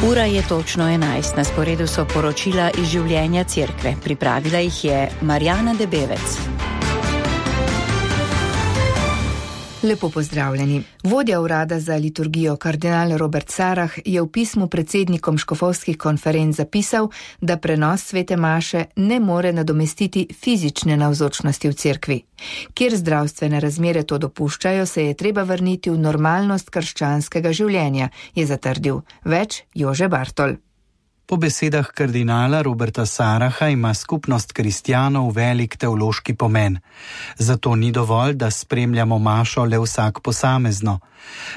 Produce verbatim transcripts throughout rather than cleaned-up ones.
Ura je točno enajst, na sporedu so poročila iz življenja cerkve. Pripravila jih je Marjana Debevec. Lepo pozdravljeni. Vodja urada za liturgijo kardinal Robert Sarah je v pismu predsednikom škofovskih konferenc zapisal, da prenos svete maše ne more nadomestiti fizične navzočnosti v cerkvi. Kjer zdravstvene razmere to dopuščajo, se je treba vrniti v normalnost krščanskega življenja, je zatrdil. Več Jože Bartol. Po besedah kardinala Roberta Saraha ima skupnost kristjanov velik teološki pomen. Zato ni dovolj, da spremljamo mašo le vsak posamezno.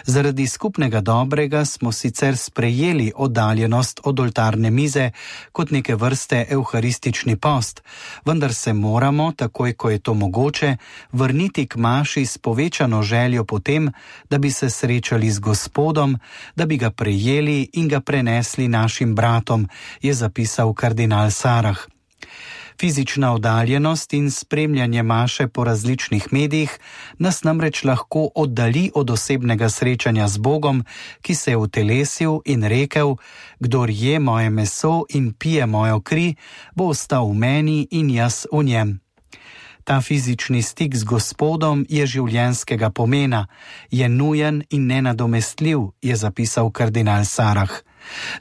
Zaradi skupnega dobrega smo sicer sprejeli oddaljenost od oltarne mize kot neke vrste evharistični post, vendar se moramo, takoj ko je to mogoče, vrniti k maši s povečano željo potem, da bi se srečali z Gospodom, da bi ga prejeli in ga prenesli našim bratom, je zapisal kardinal Sarah. Fizična oddaljenost in spremljanje maše po različnih medijih nas namreč lahko oddali od osebnega srečanja z Bogom, ki se je utelesil in rekel: kdor je moje meso in pije mojo kri, bo ostal v meni in jaz v njem. Ta fizični stik z Gospodom je življenjskega pomena, je nujen in nenadomestljiv, je zapisal kardinal Sarah.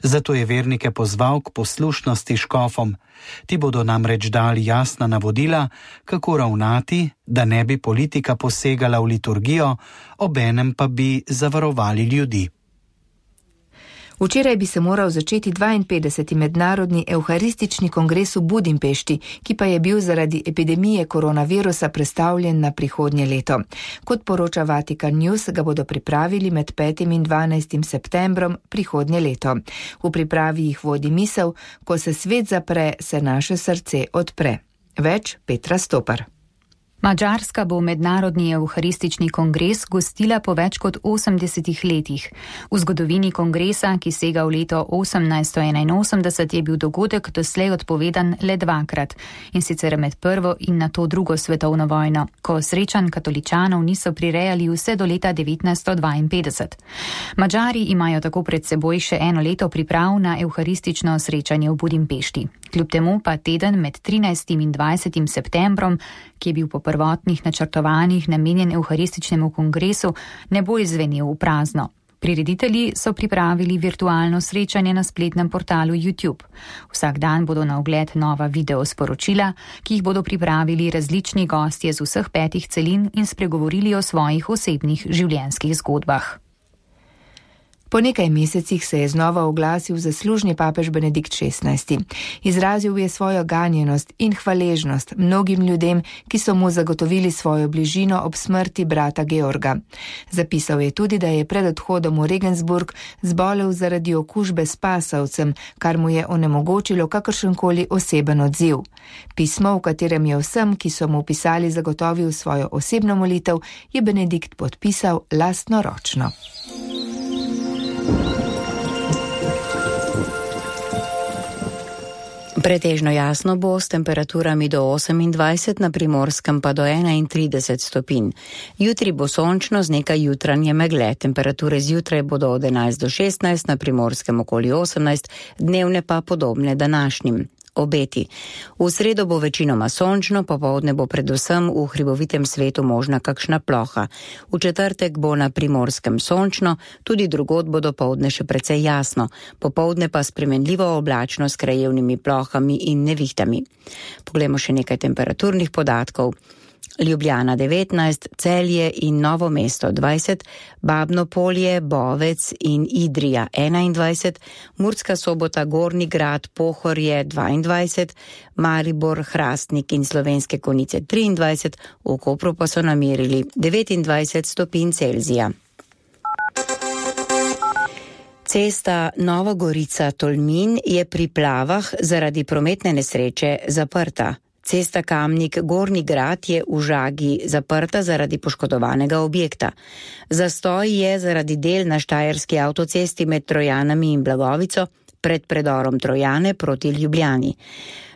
Zato je vernike pozval k poslušnosti škofom. Ti bodo namreč dali jasna navodila, kako ravnati, da ne bi politika posegala v liturgijo, obenem pa bi zavarovali ljudi. Včeraj bi se moral začeti dvainpetdeseti mednarodni evharistični kongres v Budimpešti, ki pa je bil zaradi epidemije koronavirusa prestavljen na prihodnje leto. Kot poroča Vatikan News, ga bodo pripravili med petim in dvanajstim septembrom prihodnje leto. V pripravi jih vodi misel: ko se svet zapre, se naše srce odpre. Več Petra Stopar. Madžarska bo mednarodni evharistični kongres gostila po več kot osemdesetih letih. V zgodovini kongresa, ki sega v leto osemnajststo enainosemdeset, je bil dogodek doslej odpovedan le dvakrat, in sicer med prvo in nato drugo svetovno vojno, ko srečanj katoličanov niso prirejali vse do leta devetnajststo dvainpetdeset. Madžari imajo tako pred seboj še eno leto priprav na evharistično srečanje v Budimpešti. Kljub temu pa teden med trinajstim in dvajsetim septembrom, ki je bil po prvotnih načrtovanjih namenjen evharističnemu kongresu, ne bo izvenel v prazno. Prireditelji so pripravili virtualno srečanje na spletnem portalu YouTube. Vsak dan bodo na ogled nova video sporočila, ki jih bodo pripravili različni gostje z vseh petih celin in spregovorili o svojih osebnih življenjskih zgodbah. Po nekaj mesecih se je znova oglasil zaslužni papež Benedikt šestnajsti. Izrazil je svojo ganjenost in hvaležnost mnogim ljudem, ki so mu zagotovili svojo bližino ob smrti brata Georga. Zapisal je tudi, da je pred odhodom v Regensburg zbolel zaradi okužbe s pasavcem, kar mu je onemogočilo kakršenkoli oseben odziv. Pismo, v katerem je vsem, ki so mu pisali, zagotovil svojo osebno molitev, je Benedikt podpisal lastnoročno. Pretežno jasno bo s temperaturami do osemindvajset, na Primorskem pa do enaintrideset stopinj. Jutri bo sončno z nekaj jutranje megle. Temperature zjutraj bodo od enajst do šestnajst, na Primorskem okoli osemnajst, dnevne pa podobne današnjim. Obeti. V sredo bo večinoma sončno, popoldne bo predvsem v hribovitem svetu možna kakšna ploha. V četrtek bo na Primorskem sončno, tudi drugod bo dopoldne še precej jasno, popoldne pa spremenljivo oblačno s krajevnimi plohami in nevihtami. Poglejmo še nekaj temperaturnih podatkov. Ljubljana devetnajst, Celje in Novo mesto dvajset, Babno Polje, Bovec in Idrija enaindvajset, Murska Sobota, Gornji Grad, Pohorje dvaindvajset, Maribor, Hrastnik in Slovenske Konjice triindvajset, v Kopru pa so namerili devetindvajset stopinj Celzija. Cesta Nova Gorica-Tolmin je pri Plavah zaradi prometne nesreče zaprta. Cesta Kamnik-Gornji Grad je v Žagi zaprta zaradi poškodovanega objekta. Zastoj je zaradi del na štajerski avtocesti med Trojanami in Blagovico, pred predorom Trojane proti Ljubljani.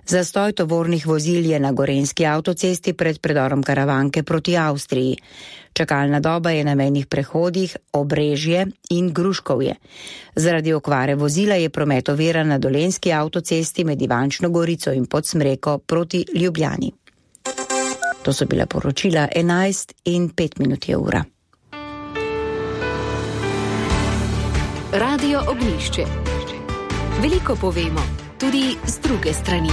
Zastoj tovornih vozil je na Gorenjski avtocesti pred predorom Karavanke proti Avstriji. Čakalna doba je na mejnih prehodih Obrežje in Gruškovje. Zaradi okvare vozila je promet oviran na Dolenjski avtocesti med Ivančno Gorico in Podsmreko proti Ljubljani. To so bila poročila enajst in pet minut je ura. Radio Ognjišče. Veliko povemo, tudi z druge strani.